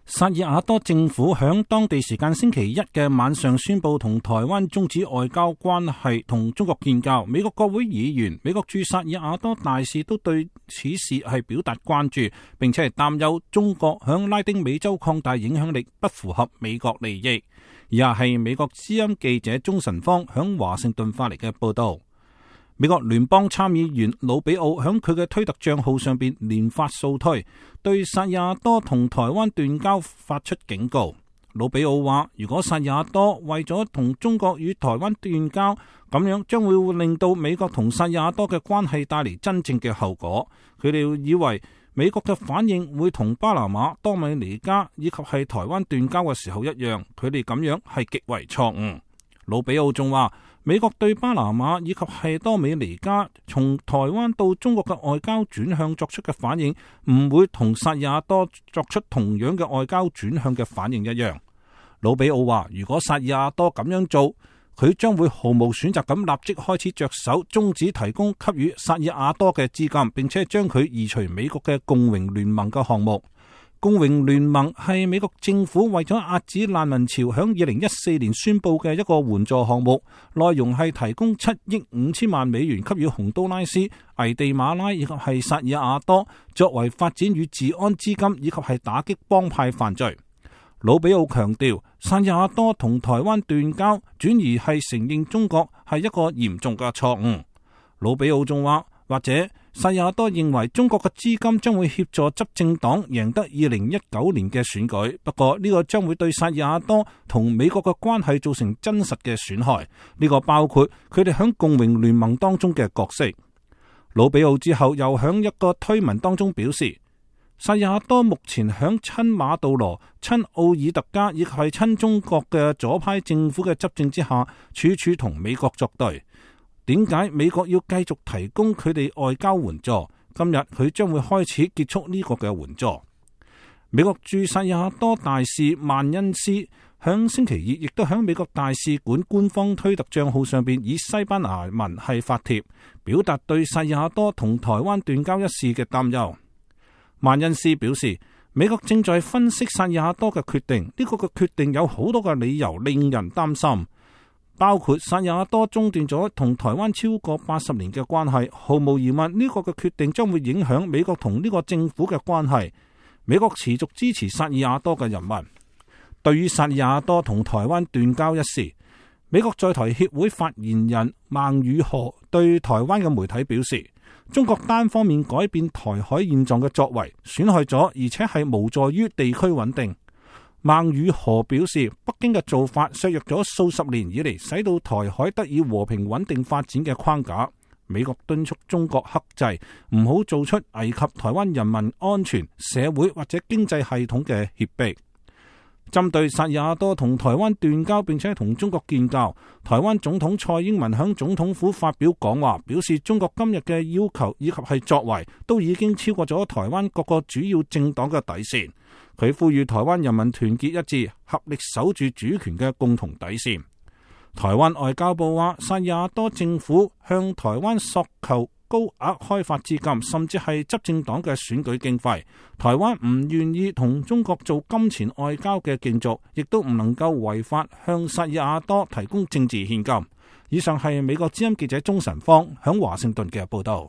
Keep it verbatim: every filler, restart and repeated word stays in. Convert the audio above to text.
薩爾瓦多政府響當地時間星期一嘅晚上宣布同台灣終止外交關係，同中國建交。美國國會議員、美國駐薩爾瓦多大使都對此事係表達關注，並且係擔憂中國響拉丁美洲擴大影響力不符合美國利益。以下係美國之音記者鍾晨芳響華盛頓發嚟嘅報道。美國聯邦參議員魯比奧響佢嘅推特賬號上邊連發數推，對薩爾瓦多同台灣斷交發出警告。魯比奧話：如果薩爾瓦多為咗同中國與台灣斷交，咁樣將會令到美國同薩爾瓦多嘅關係帶嚟真正嘅後果。佢哋以為美國嘅反應會同巴拿馬、多米尼加以及係台灣斷交嘅時候一樣，佢哋咁樣係極為錯誤。魯比奧仲話：美國對巴拿馬以及係多米尼加從台灣到中國嘅外交轉向作出嘅反應，唔會同薩爾瓦多作出同樣嘅外交轉向嘅反應一樣。魯比奧話：如果薩爾瓦多咁樣做，佢將會毫無選擇咁立即開始着手終止提供給予薩爾瓦多嘅資金，並且將佢移除美國嘅共榮聯盟嘅項目。共榮聯盟係美國政府為咗遏止難民潮響二零一四年宣布嘅一個援助項目，內容係提供七億五千萬美元給予洪都拉斯、危地馬拉以及係薩爾瓦多，作為發展與治安資金以及係打擊幫派犯罪。魯比奧強調，薩爾瓦多同台灣斷交，轉而係承認中國係一個嚴重嘅錯誤。魯比奧仲話，或者薩爾瓦多認為中國嘅資金將會協助執政黨贏得二零一九年嘅選舉，不過呢個將會對薩爾瓦多同美國嘅關係造成真實嘅損害。呢個包括佢哋響共榮聯盟當中嘅角色。魯比奧之後又響一個推文當中表示，薩爾瓦多目前響親馬杜羅、親奧爾特加以及係親中國嘅左派政府嘅執政之下，處處同美國作對。點解美國要繼續提供佢哋外交援助？今日佢將會開始結束呢個嘅援助。美國駐薩爾瓦多大使曼恩斯響星期二亦都響美國大使館官方推特賬號上邊以西班牙文係發帖，表達對薩爾瓦多同台灣斷交一事嘅擔憂。曼恩斯表示，美國正在分析薩爾瓦多嘅決定，呢個嘅決定有好多嘅理由令人擔心。包括薩爾瓦多中斷咗同台灣超過八十年嘅關係，毫無疑問呢個嘅決定將會影響美國同呢個政府嘅關係。美國持續支持薩爾瓦多嘅人民。對於薩爾瓦多同台灣斷交一事，美國在台協會發言人孟宇荷對台灣嘅媒體表示，中國單方面改變台海現狀嘅作為，損害咗而且係無助於地區穩定。孟宇荷表示，北京嘅做法削弱咗數十年以嚟使到台海得以和平穩定發展嘅框架。美國敦促中國克制，唔好做出危及台灣人民安全、社會或者經濟系統嘅脅迫。針對薩爾瓦多同台灣斷交並且同中國建交，台灣總統蔡英文響總統府發表講話，表示中國今日嘅要求以及係作為都已經超過咗台灣各個主要政黨嘅底線。佢呼籲台灣人民團結一致，合力守住主權嘅共同底線。台灣外交部話，薩爾瓦多政府向台灣索求高額開發資金，甚至係執政黨嘅選舉經費。台灣唔願意同中國做金錢外交嘅競逐，亦都唔能夠違法向薩爾瓦多提供政治獻金。以上係美國之音記者鍾晨芳響華盛頓嘅報道。